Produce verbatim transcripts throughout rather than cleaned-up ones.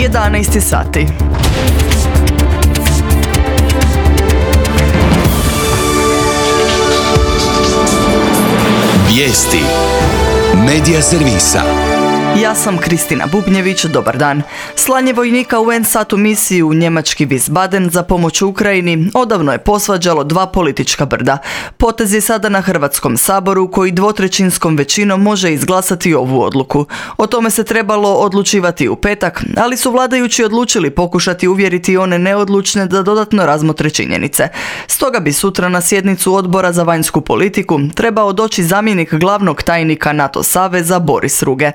jedanaest sati. Vijesti Medija servisa. Ja sam Kristina Bubnjević, dobar dan. Slanje vojnika u en sat u misiju u njemački Wiesbaden za pomoć Ukrajini odavno je posvađalo dva politička brda. Potez je sada na Hrvatskom saboru koji dvotrećinskom većinom može izglasati ovu odluku. O tome se trebalo odlučivati u petak, ali su vladajući odlučili pokušati uvjeriti one neodlučne da dodatno razmotre činjenice. Stoga bi sutra na sjednicu Odbora za vanjsku politiku trebao doći zamjenik glavnog tajnika NATO saveza Boris Ruge.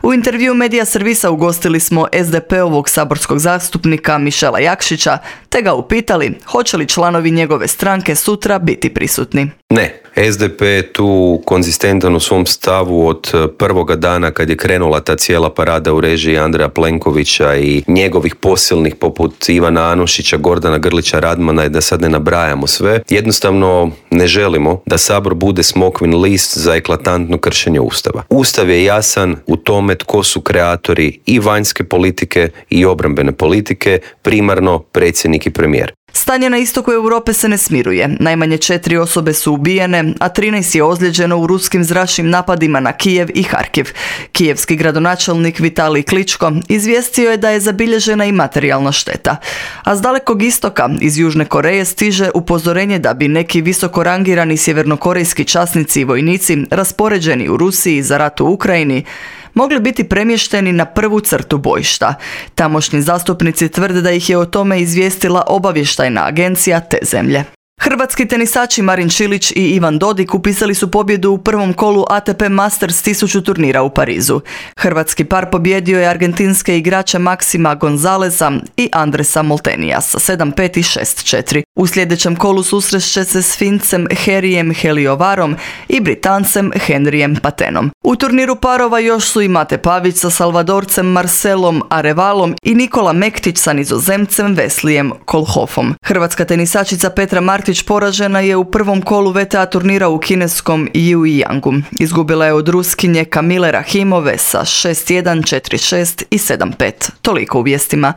U intervju Medija servisa ugostili smo es de pe-ovog saborskog zastupnika Mišela Jakšića, te ga upitali hoće li članovi njegove stranke sutra biti prisutni. Ne, es de pe je tu konzistentan u svom stavu od prvoga dana kad je krenula ta cijela parada u režiji Andreja Plenkovića i njegovih posilnih poput Ivana Anušića, Gordana Grlića Radmana i da sad ne nabrajamo sve. Jednostavno ne želimo da Sabor bude smokvin list za eklatantno kršenje Ustava. Ustav je jasan u tome tko su kreatori i vanjske politike i obrambene politike, primarno predsjednik i premijer. Stanje na istoku Europe se ne smiruje. Najmanje četiri osobe su ubijene, a trinaest je ozlijeđeno u ruskim zračnim napadima na Kijev i Harkiv. Kijevski gradonačelnik Vitalij Kličko izvijestio je da je zabilježena i materijalna šteta. A s dalekog istoka, iz Južne Koreje, stiže upozorenje da bi neki visoko rangirani sjevernokorejski časnici i vojnici raspoređeni u Rusiji za rat u Ukrajini mogli biti premješteni na prvu crtu bojišta. Tamošnji zastupnici tvrde da ih je o tome izvijestila obavještajna agencija te zemlje. Hrvatski tenisači Marin Čilić i Ivan Dodig upisali su pobjedu u prvom kolu a te pe Masters tisuću turnira u Parizu. Hrvatski par pobjedio je argentinske igrače Maxima Gonzaleza i Andresa Moltenija sa sedam pet i šest četiri. U sljedećem kolu susrešće se s Fincem Herijem Heliovarom i Britancem Henrijem Patenom. U turniru parova još su i Mate Pavić sa Salvadorcem Marcelom Arevalom i Nikola Mektić sa Nizozemcem Veslijem Kolhofom. Hrvatska tenisačica Petra Martić poražena je u prvom kolu ve te a turnira u kineskom Jujiangu. Izgubila je od Ruskinje Kamile Rahimove sa šest jedan, četiri šest i sedam pet. Toliko u vijestima.